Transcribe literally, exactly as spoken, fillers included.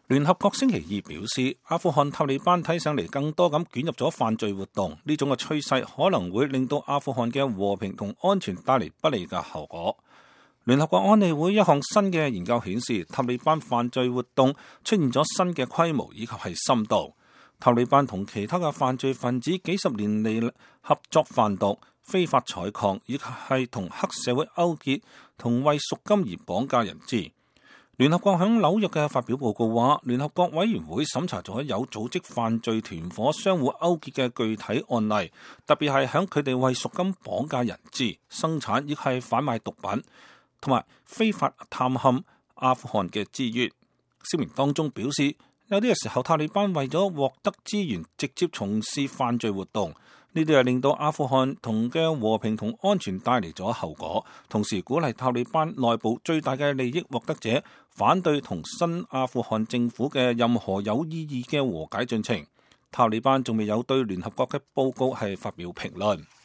聯合國星期二表示，阿富汗塔利班睇上嚟更多咁捲入咗犯罪活動，呢種嘅趨勢可能會令到阿富汗嘅和平同安全帶嚟不利嘅後果。聯合國安理會一項新嘅研究顯示，塔利班犯罪活動出現咗新嘅規模以及係深度。塔利班同其他嘅犯罪分子幾十年嚟合作販毒、非法採礦，以及係同黑社會勾結，同為贖金而綁架人質。聯合國響紐約嘅發表報告話，聯合國委員會審查咗有組織犯罪團伙相互勾結嘅具體案例，特別係響佢哋為贖金綁架人質、生產亦係販賣毒品，同埋非法探陷阿富汗嘅資源。聲明當中表示，有啲嘅時候塔利班為咗獲得資源，直接從事犯罪活動。呢啲係令到阿富汗同嘅和平同安全帶嚟咗後果，同時鼓勵塔利班內部最大嘅利益獲得者反對同新阿富汗政府嘅任何有意義嘅和解進程。塔利班仲未有對聯合國嘅報告係發表評論。